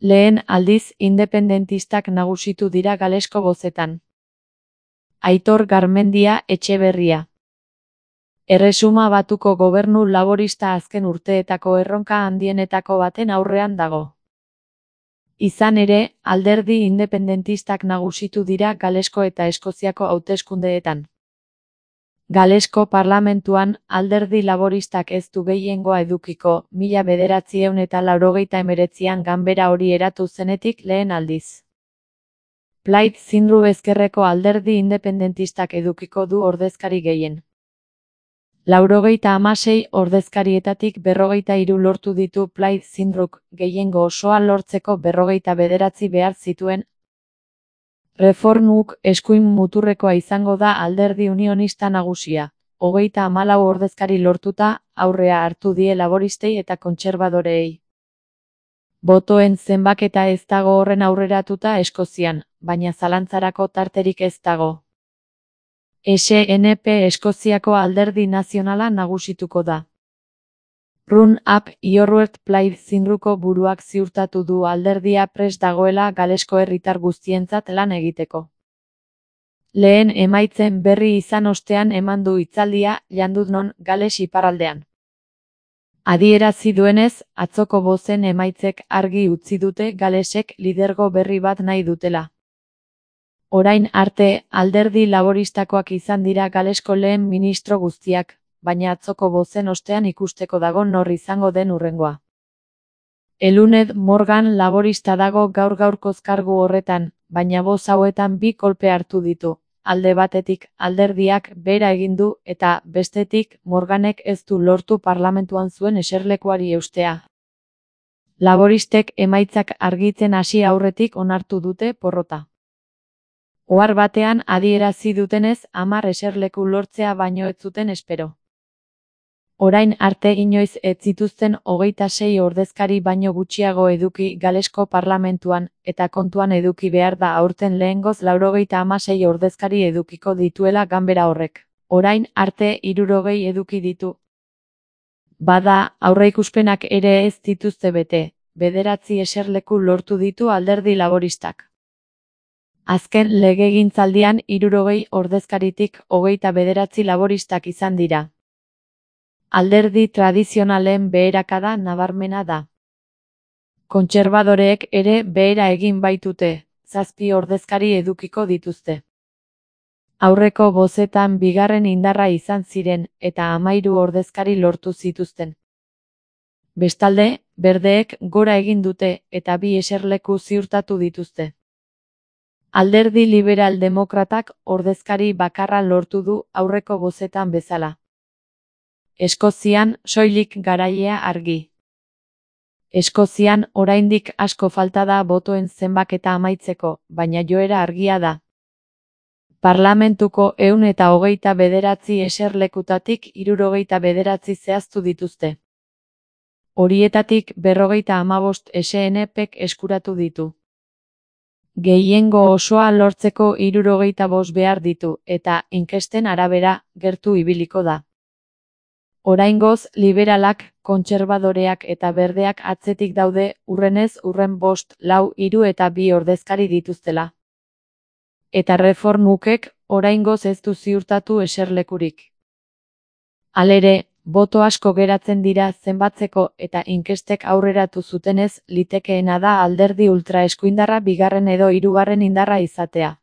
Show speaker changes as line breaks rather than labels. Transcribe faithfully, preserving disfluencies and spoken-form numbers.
Lehen aldiz independentistak nagusitu dira Galesko bozetan. Aitor Garmendia Etxeberria. Erresuma Batuko gobernu laborista azken urteetako erronka handienetako baten aurrean dago. Izan ere, alderdi independentistak nagusitu dira Galesko eta Eskoziako hauteskundeetan. Galesko parlamentuan alderdi laboristak ez du gehiengoa edukiko, mila bederatziehun eta laurogeita hemeretzian ganbera hori eratu zenetik lehen aldiz. Plaid Cymru ezkerreko alderdi independentistak edukiko du ordezkari gehien. Laurogeita hamasei ordezkarietatik berrogeita hiru lortu ditu Plaid Cymruk, gehiengo osoa lortzeko berrogeita bederatzi behar zituen. Reformuk eskuin muturrekoa izango da alderdi unionista nagusia, hogeita hamalau ordezkari lortuta, aurrea hartu die laboristei eta kontserbadoreei. Botoen zenbaketa ez dago horren aurreratuta Eskozian, baina zalantzarako tarterik ez dago. S N P Eskoziako alderdi nazionala nagusituko da. Run Up Iorwerth Plaid Cymruko buruak ziurtatu du alderdia prest dagoela Galesko herritar guztientzat lan egiteko. Lehen emaitzen berri izan ostean eman du hitzaldia Llandudnon, Gales iparraldean. Adierazi duenez, atzoko bozen emaitzek argi utzi dute Galesek lidergo berri bat nahi dutela. Orain arte, alderdi laboristakoak izan dira Galesko lehen ministro guztiak, baina atzoko bozen ostean ikusteko dago nor izango den hurrengoa. Eluned Morgan laborista dago gaur gaurkoz kargu horretan, baina boz hauetan bi kolpe hartu ditu. Alde batetik alderdiak bera egin du eta bestetik Morganek ez du lortu parlamentuan zuen eserlekuari eustea. Laboristek emaitzak argitzen hasi aurretik onartu dute porrota. Ohar batean adierazi dutenez hamar eserleku lortzea baino ez zuten espero. Orain arte inoiz ez zituzten hogeita sei ordezkari baino gutxiago eduki Galesko parlamentuan, eta kontuan eduki behar da aurten lehengoz laurogeita hamasei ordezkari edukiko dituela ganbera horrek. Orain arte hirurogei eduki ditu. Bada, aurreikuspenak ere ez dituzte bete, bederatzi eserleku lortu ditu alderdi laboristak. Azken legegintzaldian hirurogei ordezkaritik hogeita bederatzi laboristak izan dira. Alderdi tradizionalen beherakada nabarmena da. Kontserbadoreek ere behera egin baitute, zazpi ordezkari edukiko dituzte. Aurreko bozetan bigarren indarra izan ziren eta hamairu ordezkari lortu zituzten. Bestalde, berdeek gora egin dute eta bi eserleku ziurtatu dituzte. Alderdi liberal demokratak ordezkari bakarra lortu du aurreko bozetan bezala. Eskozian soilik garailea argi. Eskozian oraindik asko falta da botoen zenbaketa amaitzeko, baina joera argia da. Parlamentuko ehun eta hogeita bederatzi eserlekutatik hirurogeita bederatzi zehaztu dituzte. Horietatik berrogeita hamabost S N Pek eskuratu ditu. Gehiengo osoa lortzeko hirurogeita bost behar ditu, eta inkesten arabera gertu ibiliko da. Oraingoz, liberalak, kontserbadoreak eta berdeak atzetik daude, hurrenez hurren bost, lau, hiru eta bi ordezkari dituztela. Eta reformukek oraingoz ez du ziurtatu eserlekurik. Halere, boto asko geratzen dira zenbatzeko eta inkestek aurreratu zutenez litekeena da alderdi ultraeskuindarra bigarren edo hirugarren indarra izatea.